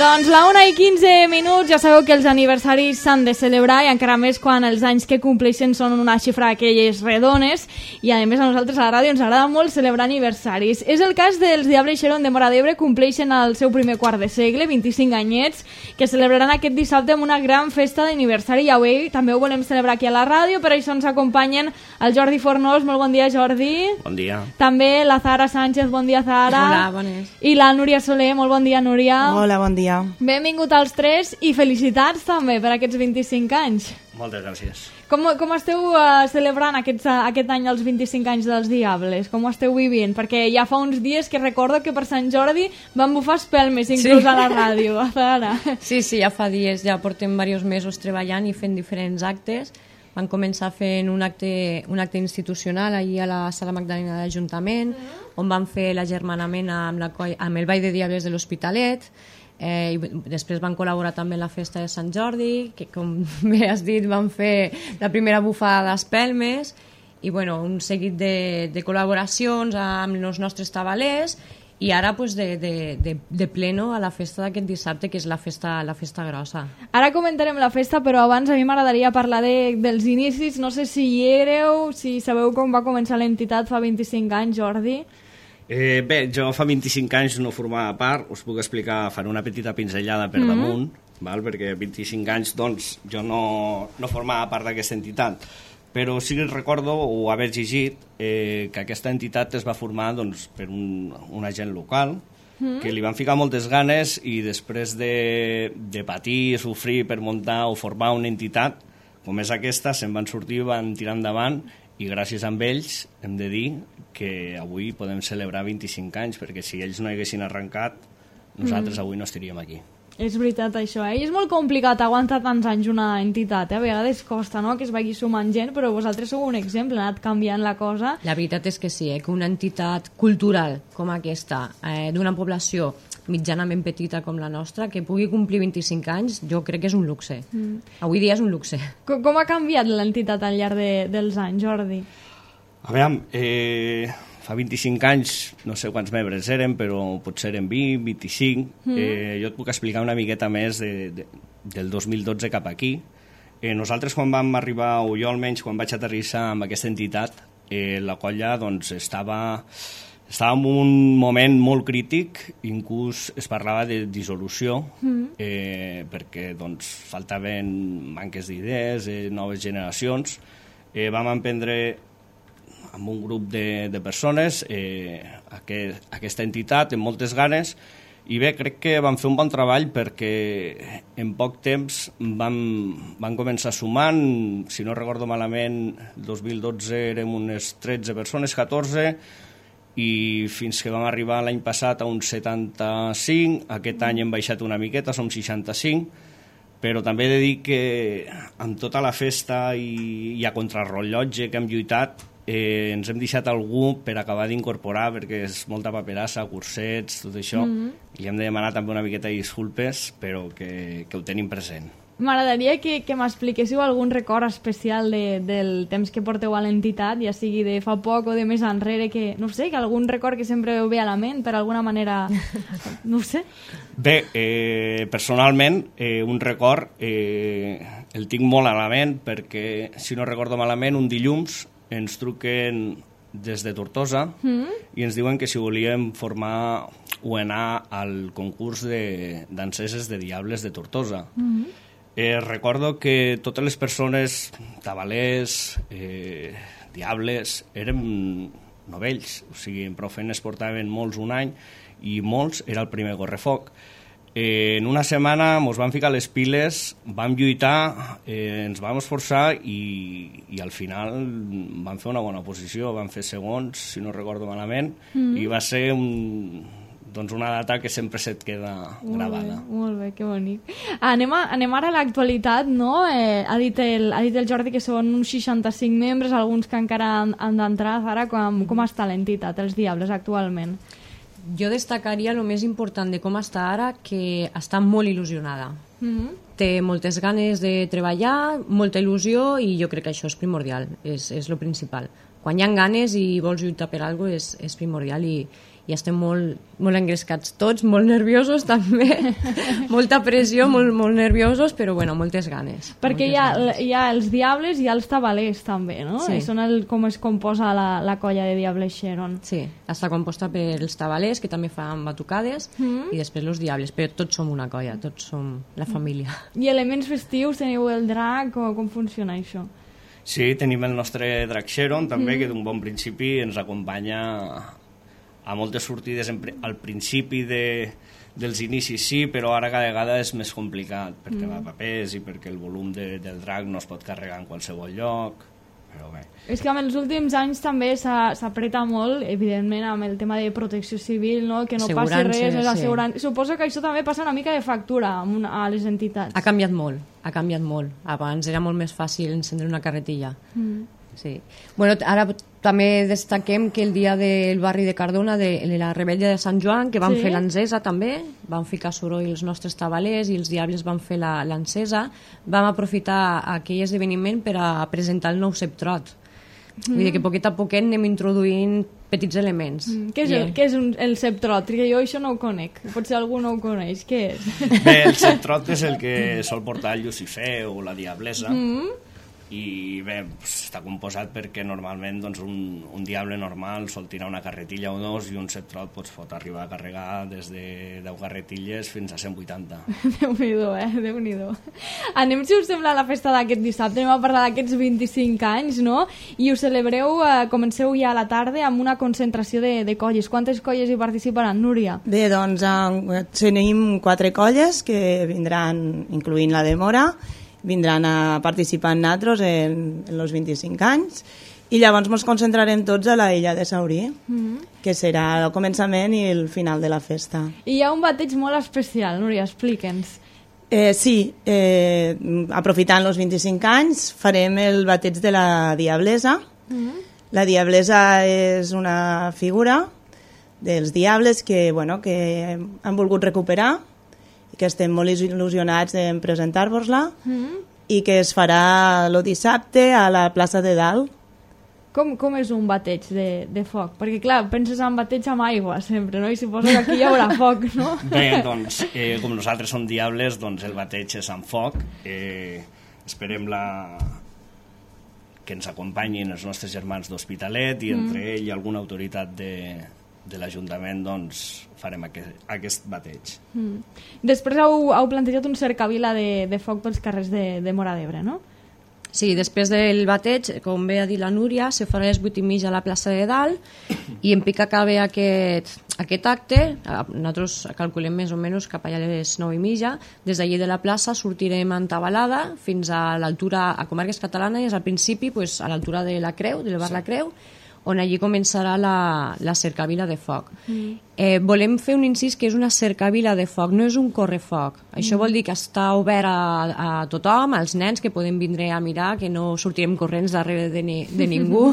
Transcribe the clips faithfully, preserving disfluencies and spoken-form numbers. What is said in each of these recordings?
Doncs la una i quinze minuts, ja sabeu que els aniversaris s'han de celebrar i encara més quan els anys que compleixen són una xifra d'aquelles redones i a més a nosaltres a la ràdio ens agrada molt celebrar aniversaris. És el cas dels Diables Xeron de Móra d'Ebre, compleixen el seu primer quart de segle, vint-i-cinc anyets, que celebraran aquest dissabte amb una gran festa d'aniversari i avui també ho volem celebrar aquí a la ràdio, per això ens acompanyen el Jordi Fornós. Molt bon dia, Jordi. Bon dia. També la Zahara Sánchez. Bon dia, Zahara. Hola, bones. I la Núria Soler. Molt bon dia, Núria. Hola, bon dia. Benvingut als tres i felicitats també per aquests vint-i-cinc anys. Moltes gràcies. Com, com esteu uh, celebrant aquests, uh, aquest any els vint-i-cinc anys dels Diables? Com ho esteu vivint? Perquè ja fa uns dies que recordo que per Sant Jordi van bufar espelmes inclús sí. a la ràdio. Ara. Sí, sí, ja fa dies, ja portem diversos mesos treballant i fent diferents actes. Van començar fent un acte, un acte institucional allí a la Sala Magdalena de l'Ajuntament, mm. on van fer l'agermanament amb, la, amb el Ball de Diables de l'Hospitalet. Eh, i després van col·laborar també en la festa de Sant Jordi, que com bé has dit van fer la primera bufada d'espelmes i bueno, un seguit de, de col·laboracions amb els nostres tabalers i ara pues, de, de, de, de pleno a la festa d'aquest dissabte, que és la festa, la festa grossa. Ara comentarem la festa, però abans a mi m'agradaria parlar de, dels inicis. No sé si hi éreu, si sabeu com va començar l'entitat fa vint-i-cinc anys, Jordi. Eh, bé, jo fa vint-i-cinc anys no formava part, us puc explicar, faré una petita pinzellada per mm-hmm. damunt, val? Perquè vint-i-cinc anys doncs, jo no, no formava part d'aquesta entitat, però sí que recordo o haver llegit eh, que aquesta entitat es va formar doncs, per un, un agent local, mm-hmm. que li van ficar moltes ganes i després de, de patir i sofrir per muntar o formar una entitat com és aquesta, se'n van sortir, van tirar endavant i gràcies a ells hem de dir que avui podem celebrar vint-i-cinc anys, perquè si ells no haguessin arrencat, nosaltres mm. avui no estaríem aquí. És veritat això, eh? I és molt complicat aguantar tants anys una entitat, eh? A vegades costa, no?, que es vagi sumant gent, però vosaltres sou un exemple, ha anat canviant la cosa. La veritat és que sí, eh? Que una entitat cultural com aquesta, eh, d'una població mitjanament petita com la nostra, que pugui complir vint-i-cinc anys, jo crec que és un luxe. Mm. Avui dia és un luxe. Com, com ha canviat l'entitat al llarg de, dels anys, Jordi? A veure, eh, fa vint-i-cinc anys, no sé quants membres eren, però potser eren vint, vint-i-cinc. Mm. Eh, jo et puc explicar una miqueta més de, de, del dos mil dotze cap aquí. Eh, nosaltres, quan vam arribar, o jo almenys, quan vaig aterrissar amb aquesta entitat, eh, la colla doncs, estava... Estava en un moment molt crític, inclús es parlava de dissolució, mm. eh, perquè doncs, faltaven manques d'idees, eh, noves generacions. Eh, vam emprendre amb un grup de, de persones eh, aquest, aquesta entitat amb moltes ganes i bé, crec que vam fer un bon treball perquè en poc temps vam, vam començar sumant, si no recordo malament, el dos mil dotze érem unes tretze persones, catorze, i fins que vam arribar l'any passat a uns setanta-cinc, aquest any hem baixat una miqueta, som seixanta-cinc, però també he de dir que amb tota la festa i, i a contrarrellotge que hem lluitat, eh, ens hem deixat algú per acabar d'incorporar, perquè és molta paperassa, cursets, tot això, mm-hmm. i hem de demanar també una miqueta de disculpes, però que, que ho tenim present. M'agradaria que, que m'expliquéssiu algun record especial de, del temps que porteu a l'entitat, ja sigui de fa poc o de més enrere, que no sé, que algun record que sempre ve a la ment, per alguna manera, no sé. Bé, eh, personalment, eh, un record eh, el tinc molt a la ment, perquè, si no recordo malament, un dilluns ens truquen des de Tortosa mm. i ens diuen que si volíem formar o anar al concurs de danseses de Diables de Tortosa. Mm. Eh, recordo que totes les persones, tabalers, eh, diables, eren novells, o sigui, en prou feines portaven molts un any i molts era el primer correfoc. Eh, en una setmana ens vam ficar les piles, vam lluitar, eh, ens vam esforçar i, i al final vam fer una bona posició, vam fer segons, si no recordo malament, mm. i va ser un... doncs una data que sempre se't queda molt gravada. Bé, molt bé, que bonic. Anem, a, anem ara a l'actualitat, no? Eh, ha, dit el, ha dit el Jordi que són uns seixanta-cinc membres, alguns que encara han, han d'entrar. Ara, com, com està l'entitat, els Diables, actualment? Jo destacaria el més important de com està ara, que està molt il·lusionada. Mm-hmm. Té moltes ganes de treballar, molta il·lusió, i jo crec que això és primordial, és, és lo principal. Quan hi ha ganes i vols lluitar per alguna cosa és, és primordial, i, i estem molt, molt engrescats tots, molt nerviosos també, molta pressió, molt, molt nerviosos, però bueno, moltes ganes. Perquè moltes hi ha, ganes. hi ha els diables i hi ha els tabalers també, no? Sí. I són el, com es composa la, la colla de Diables Xeron. Sí, està composta per els tabalers, que també fan batucades, mm. i després els diables, però tots som una colla, tots som la família. I elements festius, teniu el drac, o com funciona això? Sí, tenim el nostre drac Xeron, també, mm. que d'un bon principi ens acompanya a moltes sortides en, al principi de, dels inicis sí, però ara cada vegada és més complicat perquè mm. va a papers i perquè el volum de, del drac no es pot carregar en qualsevol lloc, però bé. És que amb els últims anys també s'apreta molt, evidentment, amb el tema de protecció civil, no? Que no passi res, és assegurant. Sí. Suposo que això també passa una mica de factura una, a les entitats. Ha canviat molt, ha canviat molt. Abans era molt més fàcil encendre una carretilla. Mm. Sí. Bueno, ara també destaquem que el dia del barri de Cardona, de la rebella de Sant Joan, que van sí. fer l'encesa també, van ficar soroll els nostres tabalers i els diables van fer l'encesa, vam aprofitar aquell esdeveniment per a presentar el nou ceptrot. Mm. Vull dir que poquet a poquet anem introduint petits elements. Mm. Què és, el, què és un, el ceptrot? Perquè jo això no ho conec. Potser algú no ho coneix. Què és? Bé, el ceptrot és el que sol portar el Llucifer o la Diablesa. Mm. I bé, està composat perquè normalment doncs, un, un diable normal sol tirar una carretilla o dos i un ceptrot doncs, pot arribar a carregar des de deu carretilles fins a cent vuitanta. Déu-n'hi-do, eh? Déu-n'hi-do. Anem, si us sembla, a la festa d'aquest dissabte. Anem a parlar d'aquests vint-i-cinc anys, no? I us celebreu, eh, comenceu ja a la tarda amb una concentració de, de colles. Quantes colles hi participaran, Núria? Bé, doncs eh, tenim quatre colles que vindran, incloent la de Mora, vindran a participar en nosaltres en, en els vint-i-cinc anys i llavors ens concentrarem tots a la illa de Saurí, mm-hmm. que serà el començament i el final de la festa. I hi ha un bateig molt especial, Núria, explica'ns. Eh, sí, eh, aprofitant els vint-i-cinc anys farem el bateig de la Diablesa. Mm-hmm. La Diablesa és una figura dels diables que, bueno, que han volgut recuperar i que estem molt il·lusionats en presentar-vos-la mm. i que es farà el dissabte a la plaça de Dalt. Com, com és un bateig de, de foc? Perquè, clar, penses en bateig amb aigua sempre, no? I suposo que aquí hi haurà foc, no? Bé, doncs, eh, com nosaltres som diables, doncs el bateig és amb foc. Eh, esperem la... que ens acompanyin els nostres germans d'Hospitalet i entre mm. ell i alguna autoritat de... de l'Ajuntament, doncs, farem aquest, aquest bateig. Mm. Després heu, heu plantejat un cercavila de, de foc pels carrers de, de Móra d'Ebre, no? Sí, després del bateig, com bé ha dit la Núria, se farà a les vuit i mitja a la plaça de Dalt i en pic acabe aquest, aquest acte, nosaltres calculem més o menys cap allà a les nou i mitja, des d'allí de la plaça sortirem en tabalada fins a l'altura, a Comarques Catalanes, al principi pues, a l'altura de la Creu, del bar sí. La Creu, on allí començarà la, la cercavila de foc. Mm. Eh, volem fer un incís que és una cercavila de foc, no és un correfoc. Mm. Això vol dir que està obert a, a tothom, als nens que poden vindre a mirar, que no sortirem corrents darrere de, ni, de ningú.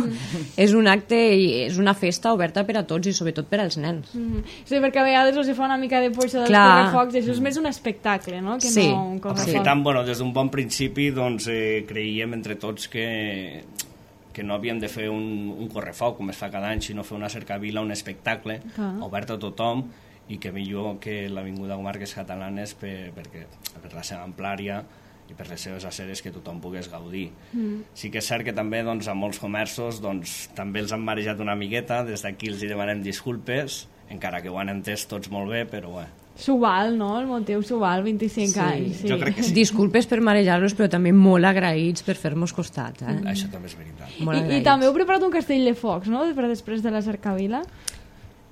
És un acte i és una festa oberta per a tots i sobretot per als nens. Mm. Sí, perquè a vegades els fa una mica de por això dels correfocs, això és més un espectacle, no? Que sí. no un correfoc. Aprofitant, bueno, des d'un bon principi, doncs, eh, creiem entre tots que que no havíem de fer un, un correfoc com es fa cada any, sinó fer una cercavila, un espectacle ah. obert a tothom i que millor que l'Avinguda Comarques Catalanes per, perquè, per la seva amplària i per les seves aceres que tothom pogués gaudir. Mm. Sí que és cert que també doncs, a molts comerços doncs, també els han marejat una miqueta, des d'aquí els hi demanem disculpes, encara que ho han entès tots molt bé, però bé. S'ho val, no? El motiu s'ho val, vint-i-cinc sí, anys. Sí. Jo crec que sí. Disculpes per marejar-los, però també molt agraïts per fer-nos costat. Eh? Mm. Això també és veritat. I, I també heu preparat un castell de focs, no?, per després de la cercavila?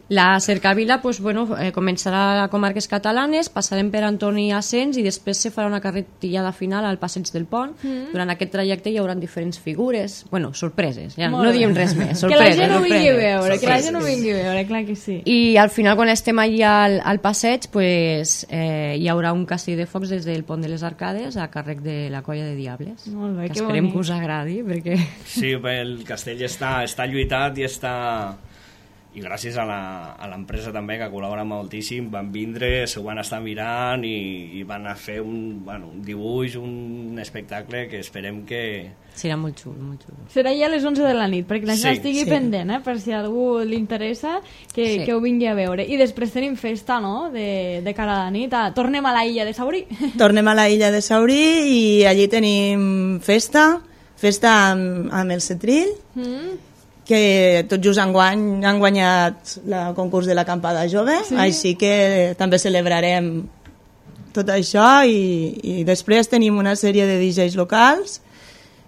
La cercavila pues, bueno, eh, començarà a Comarques Catalanes, passarem per Antoni Asens i després se farà una carretillada final al Passeig del Pont. Mm. Durant aquest trajecte hi haurà diferents figures, bueno, sorpreses, ja molt no bé. Diem res més, sorpreses. Que la gent ho vingui a veure, sorpreses. Que la gent ho vingui a veure, clar que sí. I al final, quan estem allà al, al passeig, pues, eh, hi haurà un castell de focs des del Pont de les Arcades a càrrec de la colla de Diables. Molt bé, que que esperem bonic. Que us agradi, perquè... Sí, bé, el castell està, està lluitat i està... i gràcies a la- a l'empresa també, que col·labora moltíssim, van vindre, s'ho van estar mirant i, i van a fer un, bueno, un dibuix, un espectacle que esperem que... Serà molt xulo, molt xulo. Serà ja a les onze de la nit, perquè la gent Sí, estigui sí. pendent, eh? Per si a algú li interessa, que, Sí. que ho vingui a veure. I després tenim festa, no?, de, de cara a la nit. Ah, tornem a la illa de Saurí. Tornem a la illa de Saurí i allí tenim festa, festa amb, amb el Setrill, Mm. que tot just enguany han guanyat el concurs de l'acampada jove, sí. Així que també celebrarem tot això i, i després tenim una sèrie de D Js locals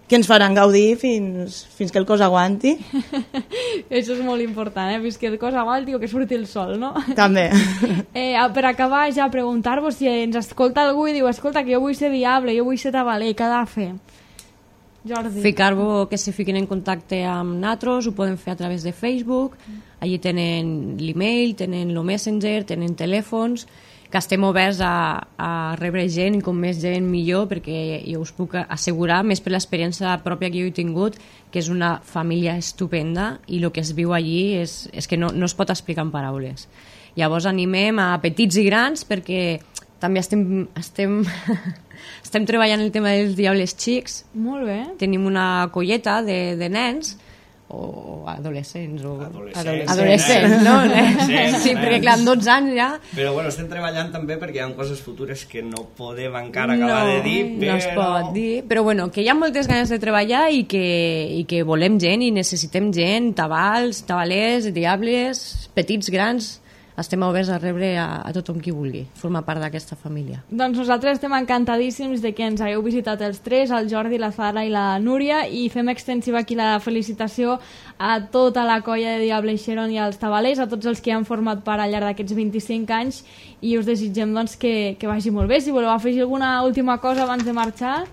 que ens faran gaudir fins, fins que el cos aguanti. Això és molt important, eh? Fins que el cos aguanti o que surti el sol, no? També. Eh, per acabar, ja preguntar-vos si ens escolta algú i diu, escolta, que jo vull ser diable, jo vull ser tabaler, què ha de fer? Jordi. Ficar-vos que se fiquin en contacte amb nosaltres, ho poden fer a través de Facebook, allí tenen l'email, tenen el Messenger, tenen telèfons, que estem oberts a, a rebre gent i com més gent millor, perquè jo us puc assegurar, més per l'experiència pròpia que jo he tingut, que és una família estupenda i el que es viu allí és, és que no, no es pot explicar en paraules. Llavors animem a petits i grans perquè també estem, estem, estem treballant el tema dels diables xics. Molt bé. Tenim una colleta de, de nens o adolescents o Adolescents. adolescents, no? Adolescents, Sí, perquè nens. clar, amb dotze anys ja Però bueno, estem treballant també perquè hi ha coses futures que no podem encara acabar de dir, però... no es pot dir, però bueno, que hi ha moltes ganes de treballar i que, i que volem gent i necessitem gent, tabals, tabalers, diables, petits, grans, estem oberts a rebre a, a tothom qui vulgui formar part d'aquesta família. Doncs nosaltres estem encantadíssims de que ens hagueu visitat els tres, el Jordi, la Zara i la Núria, i fem extensiva aquí la felicitació a tota la colla de Diable Xeron i als tabalers, a tots els que han format part al llarg d'aquests vint-i-cinc anys, i us desitgem doncs, que, que vagi molt bé. Si voleu afegir alguna última cosa abans de marxar...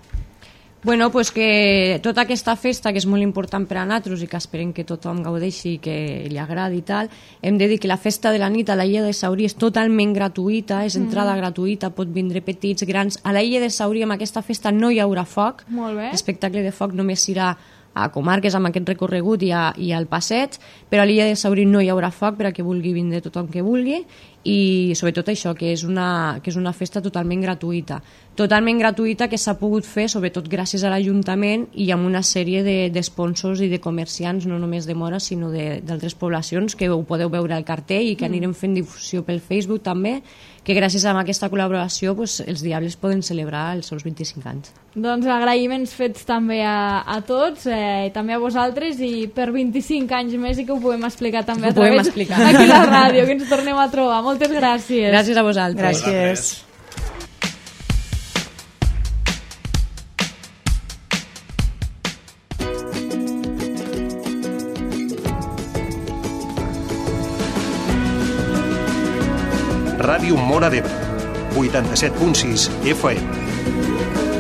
Bueno, pues que tota aquesta festa, que és molt important per a nosaltres i que esperem que tothom gaudeixi i que li agradi i tal, hem de dir que la festa de la nit a la illa de Saurí és totalment gratuïta, és entrada mm. gratuïta, pot vindre petits, grans. A la illa de Saurí amb aquesta festa no hi haurà foc, Molt bé. l'espectacle de foc només serà a comarques amb aquest recorregut i, a, i al passeig, però a l'illa de Saurí no hi haurà foc per a que vulgui vindre tothom que vulgui, i sobretot això, que és una, que és una festa totalment gratuïta. Totalment gratuïta que s'ha pogut fer sobretot gràcies a l'Ajuntament i amb una sèrie d'esponsors de, i de comerciants, no només de Mora, sinó d'altres poblacions, que ho podeu veure al cartell i que anirem fent difusió pel Facebook també, que gràcies a aquesta col·laboració pues, els Diables poden celebrar els seus vint-i-cinc anys. Doncs agraïments fets també a, a tots, eh, també a vosaltres, i per vint-i-cinc anys més i que ho puguem explicar també Ho a través podem explicar. aquí a la ràdio, que ens tornem a trobar. Moltes gràcies. Gràcies a vosaltres. Gràcies. Ràdio Móra d'Ebre, vuitanta-set punt sis F M.